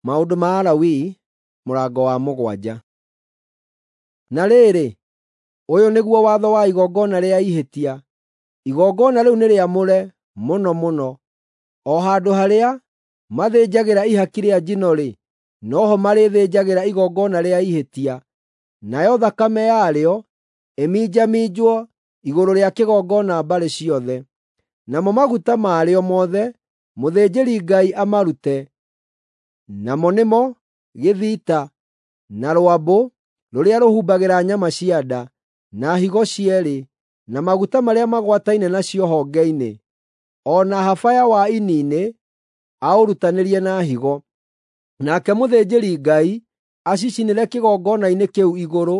Maũndũ ma Alawii mũrango wa 7. Na rĩrĩ, ũyũ nĩguo watho wa igongona rĩa ihĩtia. Igongona rĩu nĩ rĩamũre mũno mũno. O handũ harĩa mathĩnjagĩra ihaki rĩa njino-rĩ, no ho marĩthĩnjagĩra igongona rĩa ihĩtia, nayo thakame yarĩo ĩminjaminjwo igũrũ rĩa kĩgongona mbarĩ ciothe. Namo maguta marĩo mothe mũthĩnjĩri-Ngai amarute, namo nĩmo gĩthita, na rwambũ rũrĩa rũhumbagĩra nyama cia nda, na higo cierĩ, na maguta marĩa magwataine nacio honge-inĩ, o na habaya wa ini-inĩ aũrutanĩrie na higo. Nake mũthĩnjĩri-Ngai acicinĩre kĩgongona-inĩ kĩu igũrũ,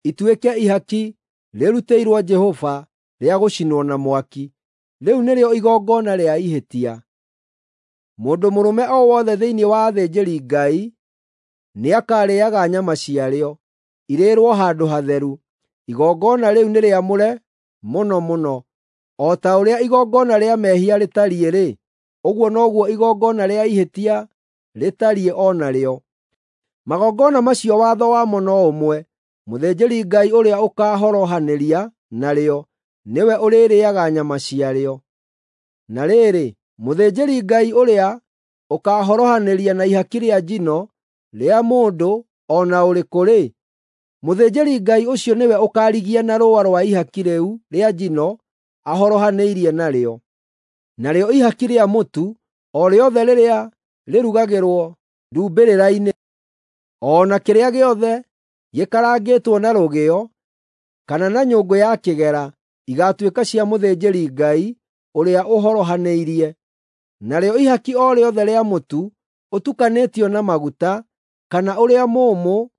ituĩke ihaki rĩrutĩirwo Jehova rĩa gũcinwo na mwaki. Rĩu nĩrĩo igongona rĩa ihĩtia. Mũndũ mũrũme o wothe thĩinĩ wa athĩnjĩri-Ngai nĩakarĩĩaga nyama ciarĩo, irĩĩrwo handũ hatheru. Igongona rĩu nĩ rĩamũre mũno mũno. O ta ũrĩa igongona rĩa mehia rĩtariĩ-rĩ, ũguo noguo igongona rĩa ihĩtia rĩtariĩ o narĩo. Magongona macio watho wamo no ũmwe. Mũthĩnjĩri-Ngai ũrĩa ũkaahorohanĩria narĩo nĩwe ũrĩrĩĩaga nyama ciarĩo. Na rĩrĩ, mũthĩnjĩri-Ngai ũrĩa ũkaahorohanĩria na ihaki rĩa njino rĩa mũndũ o na ũrĩkũ-rĩ, mũthĩnjĩri-Ngai ũcio nĩwe ũkaarigia na rũũa rwa ihaki rĩu rĩa njino ahorohanĩirie narĩo. Narĩo ihaki rĩa mũtu o rĩothe rĩrĩa rĩrugagĩrwo ndumbĩrĩra-inĩ, o na kĩrĩa gĩothe gĩkarangĩtwo na rũgĩo kana na nyũngũ ya kĩgera, igaatuĩka cia mũthĩnjĩri-Ngai ũrĩa ũhorohanĩirie. Narĩo ihaki o rĩothe rĩa mũtu ũtukanĩtio na maguta, kana ũrĩa mũũmũ,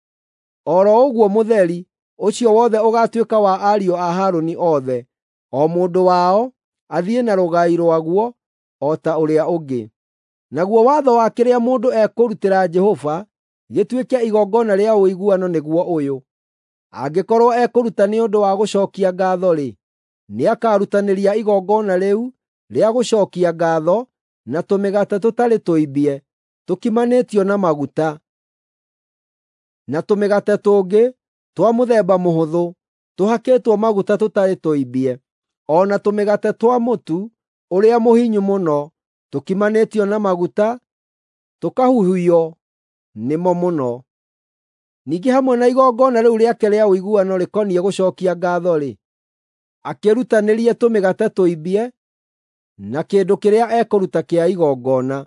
o ro ũguo mũtheri, ũcio wothe ũgaatuĩka wa ariũ a Harũni othe, o mũndũ wao athiĩ na rũgai rwaguo o ta ũrĩa ũngĩ. Naguo watho wa kĩrĩa mũndũ ekũrutĩra Jehova gĩtuĩke igongona rĩa ũiguano nĩguo ũyũ: Angĩkorwo ekũruta nĩ ũndũ wa gũcookia ngaatho-rĩ, nĩakarutanĩria igongona rĩu rĩa gũcookia ngaatho na tũmĩgate tũtarĩ tũimbie tũkimanĩtio na maguta, na tũmĩgate tũngĩ twa mũthemba mũhũthũ tũhakĩtwo maguta tũtarĩ tũimbie, o na tũmĩgate twa mũtu ũrĩa mũhinyu mũno tũkimanĩtio na maguta tũkahuhio nĩmo mũno. Ningĩ hamwe na igongona rĩu rĩake rĩa ũiguano rĩkoniĩ gũcookia ngaatho-rĩ, akĩrutanĩrie tũmĩgate tũimbie na kĩndũ kĩrĩa ekũruta kĩa igongona.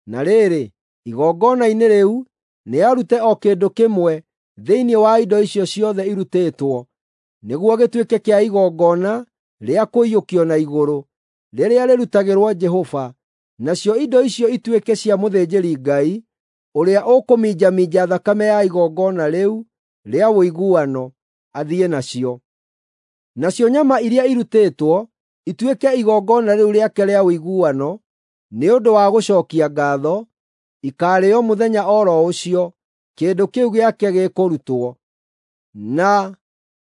Na rĩrĩ, igongona-inĩ rĩu nĩarute o kĩndũ kĩmwe thĩinĩ wa indo icio ciothe irutĩtwo, nĩguo gĩtuĩke kĩa igongona rĩa kũiyũkio na igũrũ, rĩrĩa rĩrutagĩrwo Jehova. Nacio indo icio ituĩke cia mũthĩnjĩri-Ngai ũrĩa ũkũminjaminja thakame ya igongona rĩu rĩa ũiguano athiĩ nacio. Nacio nyama iria irutĩtwo ituĩke igongona rĩu rĩake rĩa ũiguano nĩ ũndũ wa gũcookia ngaatho, ikaarĩĩo mũthenya o ro ũcio kĩndũ kĩu gĩake gĩkũrutwo, na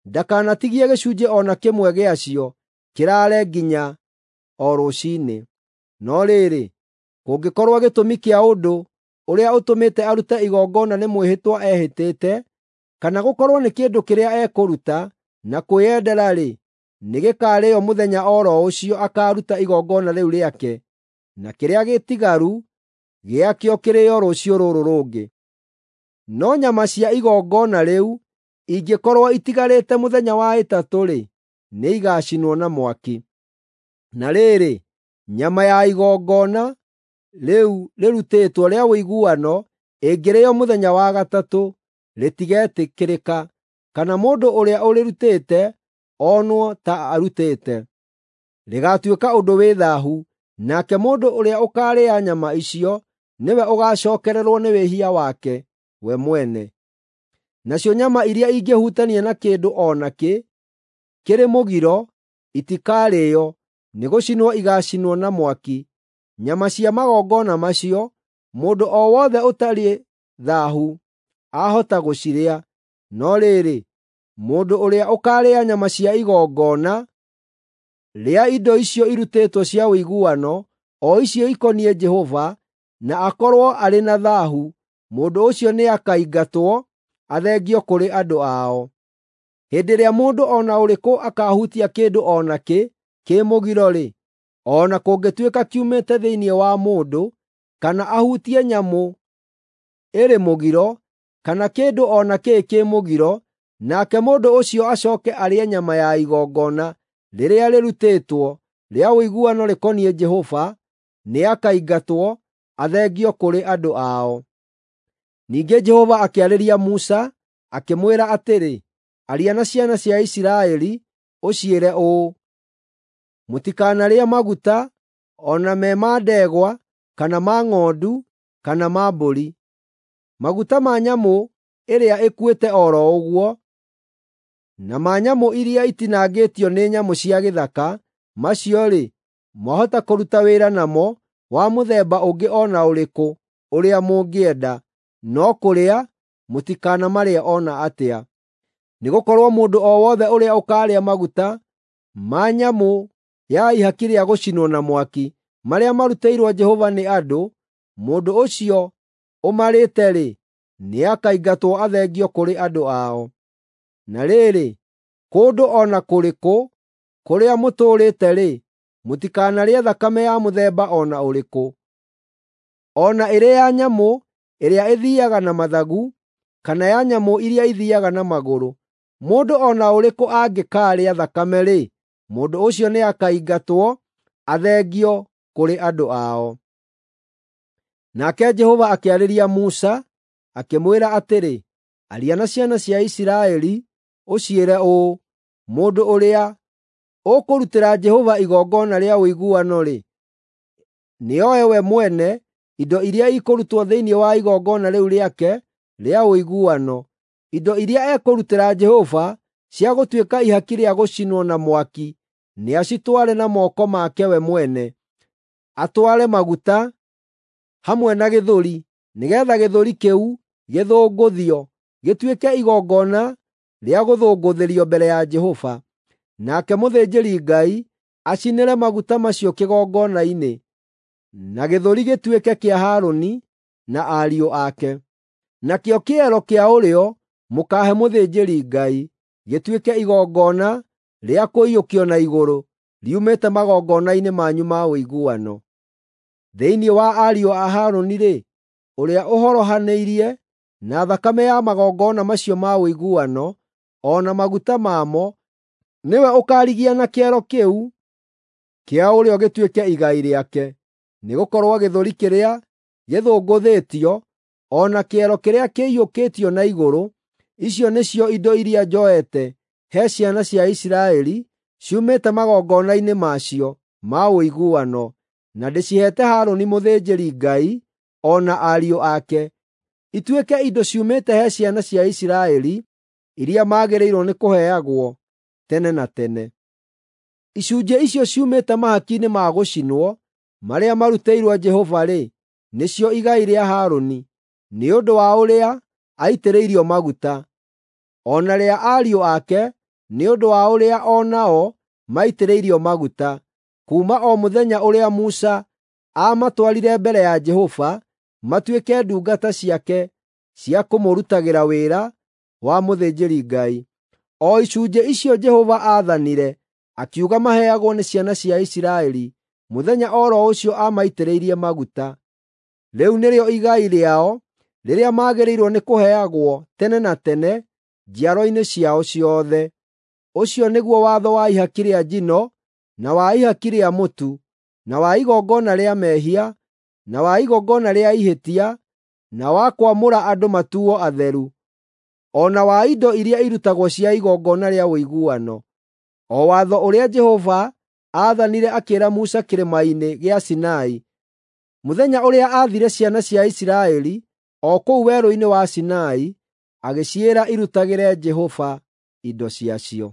ndakanatigie gĩcunjĩ o na kĩmwe gĩacio kĩraare nginya o rũciinĩ. No rĩrĩ, kũngĩkorwo gĩtũmi kĩa ũndũ ũrĩa ũtũmĩte arute igongona nĩ mwĩhĩtwa ehĩtĩte, kana gũkorwo nĩ kĩndũ kĩrĩa ekũruta na kwĩyendera-rĩ, nĩgĩkarĩĩo mũthenya o ro ũcio akaaruta igongona rĩu rĩake, na kĩrĩa gĩtigaru gĩakĩo kĩrĩĩo rũciũ rũrũ rũngĩ. No nyama cia igongona rĩu ingĩkorwo itigarĩte mũthenya wa ĩtatũ-rĩ, nĩigacinwo na mwaki. Na rĩrĩ, nyama ya igongona rĩu rĩrutĩtwo rĩa ũiguano ĩngĩrĩĩo mũthenya wa gatatũ, rĩtigetĩkĩrĩka, kana mũndũ ũrĩa ũrĩrutĩte onwo ta arutĩte. Rĩgaatuĩka ũndũ wĩ thaahu, nake mũndũ ũrĩa ũkaarĩa nyama icio nĩwe ũgaacookererwo nĩ wĩhia wake we mwene. Nacio nyama iria ingĩhutania na kĩndũ o nakĩ kĩrĩ mũgiro itikarĩĩo, nĩgũcinwo igaacinwo na mwaki. Nyama cia magongona macio, mũndũ o wothe ũtarĩ thaahu ahota gũcirĩa, no rĩrĩ, mũndũ ũrĩa ũkaarĩa nyama cia igongona rĩa indo icio irutĩtwo cia ũiguano, o icio ikoniĩ Jehova, na akorwo arĩ na thaahu, mũndũ ũcio nĩakaingatwo athengio kũrĩ andũ ao. Hĩndĩ ĩrĩa mũndũ o na ũrĩkũ akaahutia kĩndũ o nakĩ kĩ mũgiro-rĩ, o na kũngĩtuĩka kiumĩte thĩinĩ wa mũndũ, kana ahutie nyamũ ĩrĩ mũgiro, kana kĩndũ o nakĩ kĩ mũgiro, nake mũndũ ũcio acooke arĩe nyama ya igongona rĩrĩa rĩrutĩtwo rĩa ũiguano rĩkoniĩ Jehova, nĩakaingatwo athengio kũrĩ andũ ao. Ningĩ Jehova akĩarĩria Musa, akĩmwĩra atĩrĩ, “Aria na ciana cia Isiraeli, ũciĩre ũũ: Mũtikanarĩe maguta, o na me ma ndegwa, kana ma ng'ondu, kana ma mbũri. Maguta ma nyamũ ĩrĩa ĩkuĩte o ro ũguo, na ma nyamũ iria itinangĩtio nĩ nyamũ cia gĩthaka, macio-rĩ, mwahota kũruta wĩra namo wa mũthemba ũngĩ o na ũrĩkũ ũrĩa mũngĩenda, no kũrĩa mũtikanamarĩe o na atĩa. Nĩgũkorwo mũndũ o wothe ũrĩa ũkaarĩa maguta ma nyamũ ya ihaki rĩa gũcinwo na mwaki, marĩa marutĩirwo Jehova nĩ andũ, mũndũ ũcio ũmarĩte-rĩ, nĩakaingatwo athengio kũrĩ andũ ao. Na rĩrĩ, kũndũ o na kũrĩkũ kũrĩa mũtũũrĩte-rĩ, mũtikanarĩe thakame ya mũthemba o na ũrĩkũ, o na ĩrĩ ya nyamũ ĩrĩa ĩthiiaga na mathagu, kana ya nyamũ iria ithiiaga na magũrũ. Mũndũ o na ũrĩkũ angĩkaarĩa thakame-rĩ, mũndũ ũcio nĩakaingatwo athengio kũrĩ andũ ao. Nake Jehova akĩarĩria Musa, akĩmwĩra atĩrĩ, “Aria na ciana cia Isiraeli, ũciĩre ũũ: Mũndũ ũrĩa ũkũrutĩra Jehova igongona rĩa ũiguano-rĩ, nĩoe we mwene indo iria ikũrutwo thĩinĩ wa igongona rĩu rĩake rĩa ũiguano, indo iria ekũrutĩra Jehova cia gũtuĩka ihaki rĩa gũcinwo na mwaki, nĩacitware na moko make we mwene, atware maguta hamwe na gĩthũri, nĩgeetha gĩthũri kĩu gĩthũngũthio gĩtuĩke igongona rĩa gũthũngũthĩrio mbere ya Jehova. Nake mũthĩnjĩri-Ngai acinĩre maguta macio kĩgongona-inĩ, na gĩthũri gĩtuĩke kĩa Harũni na ariũ ake. Nakĩo kĩero kĩa ũrĩo mũkaahe mũthĩnjĩri-Ngai, gĩtuĩke igongona rĩa kũiyũkio na igũrũ, riumĩte magongona-inĩ manyu ma ũiguano. Thĩinĩ wa ariũ a Harũni-rĩ, ũrĩa ũhorohanĩirie na thakame ya magongona macio ma ũiguano, o na maguta mamo, nĩwe ũkaarigia na kĩero kĩu kĩa ũrĩo gĩtuĩke igai rĩake. Nĩgũkorwo gĩthũri kĩrĩa gĩthũngũthĩtio, o na kĩero kĩrĩa kĩiyũkĩtio na igũrũ, icio nĩcio indo iria njoete he ciana cia Isiraeli ciumĩte magongona-inĩ macio ma ũiguano, na ndĩciheete Harũni mũthĩnjĩri-Ngai o na ariũ ake, ituĩke indo ciumĩte he ciana cia Isiraeli iria magĩrĩirwo nĩ kũheagwo tene na tene. Icunjĩ icio ciumĩte mahaki-inĩ ma gũcinwo marĩa marutĩirwo Jehova-rĩ, nĩcio igai rĩa Harũni, nĩ ũndũ wa ũrĩa aitĩrĩirio maguta, o na rĩa ariũ ake nĩ ũndũ wa ũrĩa o nao maitĩrĩirio maguta, kuuma o mũthenya ũrĩa Musa aamatwarire mbere ya Jehova matuĩke ndungata ciake cia kũmũrutagĩra wĩra wa mũthĩnjĩri-Ngai. O icunjĩ icio Jehova aathanire, akiuga maheagwo nĩ ciana cia Isiraeli mũthenya o ro ũcio aamaitĩrĩirie maguta. Rĩu nĩrĩo igai rĩao rĩrĩa magĩrĩirwo nĩ kũheagwo tene na tene njiarwa-inĩ ciao ciothe. Ũcio nĩguo watho wa ihaki rĩa njino, na wa ihaki rĩa mũtu, na wa igongona rĩa mehia, na wa igongona rĩa ihĩtia, na wa kwamũra andũ matuo atheru, o na wa indo iria irutagwo cia igongona rĩa ũiguano, o watho ũrĩa Jehova aathanire akĩĩra Musa kĩrĩma-inĩ gĩa Sinai, mũthenya ũrĩa aathire ciana cia Isiraeli o kũu werũ-inĩ wa Sinai, agĩciĩra irutagĩre Jehova indo ciacio.